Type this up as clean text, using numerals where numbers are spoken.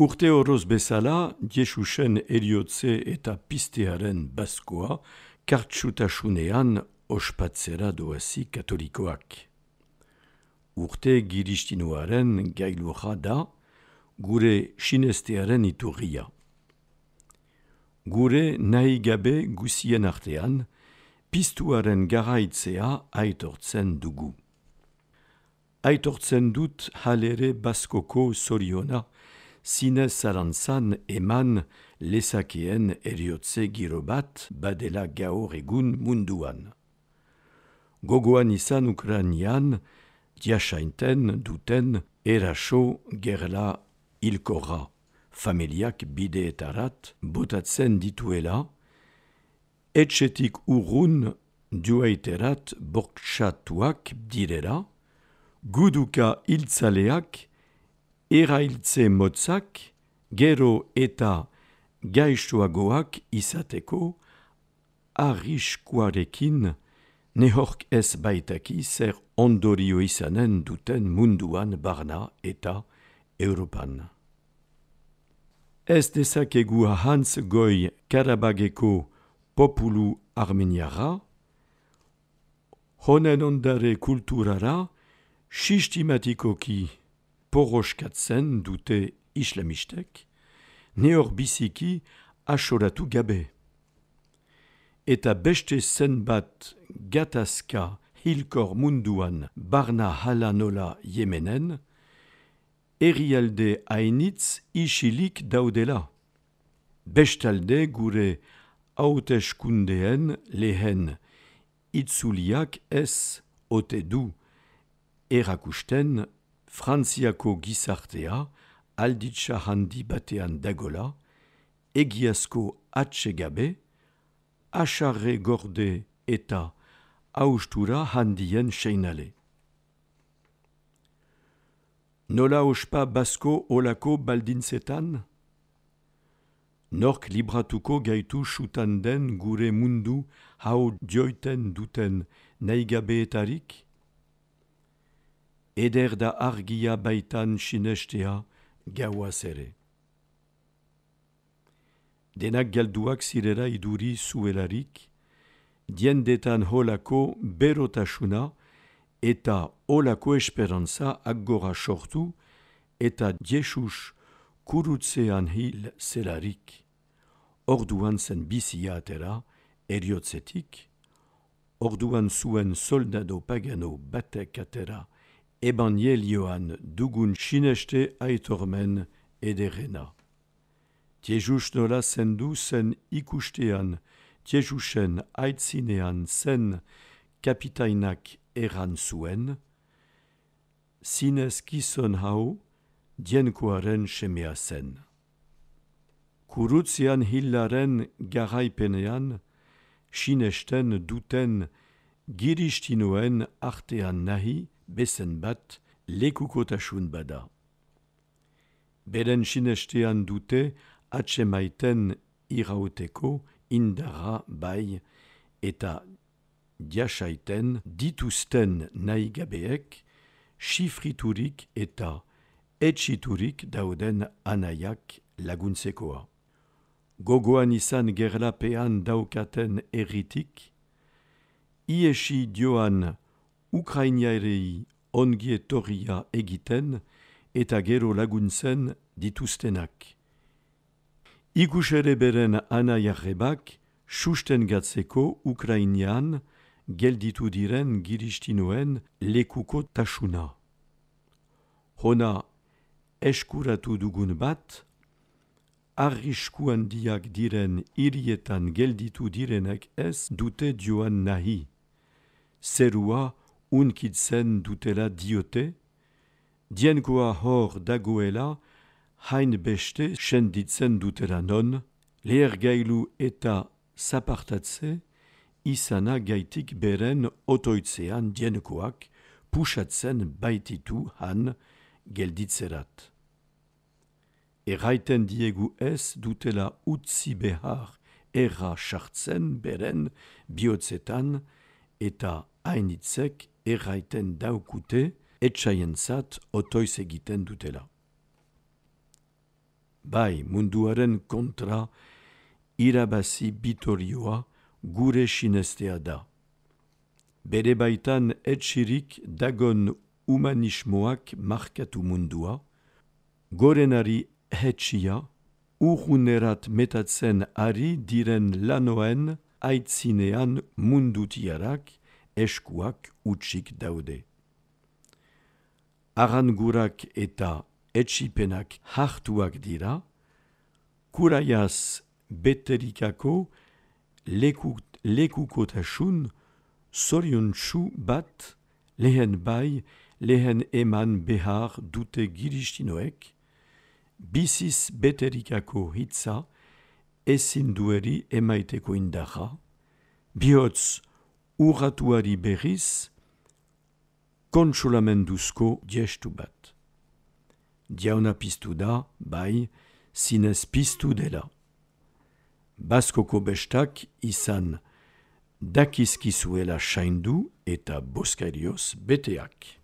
Urte horoz bezala, Jesusen eriotze eta pistearen baskoa, kartsutasunean ospatzera doazi katolikoak. Urte giristinuaren gailurra da, gure sinestearen iturria. Gure nahi gabe guzien artean, pistuaren garaitzea aitortzen dugu. Aitortzen dut halere baskoko zoriona, zinez zarantzan eman lezakeen eriotze giro bat badela gaur egun munduan. Gogoan izan Ukrainian, diasainten duten eraso gerla hilkorra, familiak bideetarat botatzen dituela, etxetik urrun duaiterat bortxatuak direla, guduka hiltzaleak, erailtze motzak, gero eta gaixoagoak izateko, arriskuarekin nehork ez baitaki zer ondorio izanen duten munduan barna eta Europan. Ez dezakegu ahantz goi Karabageko populu armeniara, honen ondare kulturara sistematikoki poroskatzen dute islamistek, nehor biziki asoratu gabe. Eta beste zenbat gatazka hilkor munduan barna hala nola Yemenen, herrialde hainitz isilik daudela. Bestalde gure hauteskundeen lehen itzuliak ez ote du erakusten Frantziako gizartea alditsa handi batean dagola, egiazko atsegabe, asarre gorde eta haustura handien seinale. Nola ospa basko olako baldintzetan? Nork libratuko gaitu sutan den gure mundu hau joiten duten naigabeetarik? Eder da argia baitan sinestea gauaz ere. Denak galduak zirela iduri zuelarik, diendetan holako berotasuna eta holako esperantza aggora sortu eta Jesus kurutzean hil zelarik. Orduan zen bizia atera eriotzetik, orduan zuen soldado pagano batek atera ebangelioan dugun sineste aitormen ederena. Jesus nola zendu zen ikustean, Jesusen aitzinean zen kapitainak erran zuen, zinez gizon hau dienkoaren semea zen. Kurutzean hilaren garaipenean, sinesten duten giristinoen artean nahi bezen bat lekukotasun bada. Beren sinestean dute atsemaiten irauteko indara bai eta diasaiten dituzten nahigabeek sifriturik eta etxiturik dauden anaiak laguntzekoa. Gogoan izan gerlapean daukaten erritik, iesi joan Ukrainiarei ongietorria egiten eta gero laguntzen dituztenak. Ikusere beren anaiarrebak sustengatzeko Ukrainian gelditu diren giristinoen lekuko tasuna. Hona eskuratu dugun bat, arrisku handiak diren hirietan gelditu direnak ez dute joan nahi. Zerua unkitzen dutela diote, dienkoa hor dagoela hain beste senditzen dutela non, lehergailu eta zapartatze izana gaitik beren otoitzean dienkoak pusatzen baititu han gelditzerat. Erraiten diegu ez dutela utzi behar erra sartzen beren bihotzetan eta hainitzek erraiten daukute etxaientzat otoiz egiten dutela. bai munduaren kontra irabazi bitorioa gure sinestea da. Bere baitan etxirik dagon humanismoak markatu mundua, gorenari hetxia, urrunerat metatzen ari diren lanoen aitzinean mundutiarak eskuak utsik daude. Arangurak eta etxipenak hartuak dira, kuraiaz beterikako lekukotasun zoriontsu bat lehen bai, lehen eman behar dute giristinoek, biziz beterikako hitza ezin dueri emaiteko indarra, bihotz urratuari berriz kontsolamenduzko gestu bat. Diauna piztu da, bai, zinez piztu dela. Baskoko bestak izan dakizkizuela saindu eta boskarioz beteak.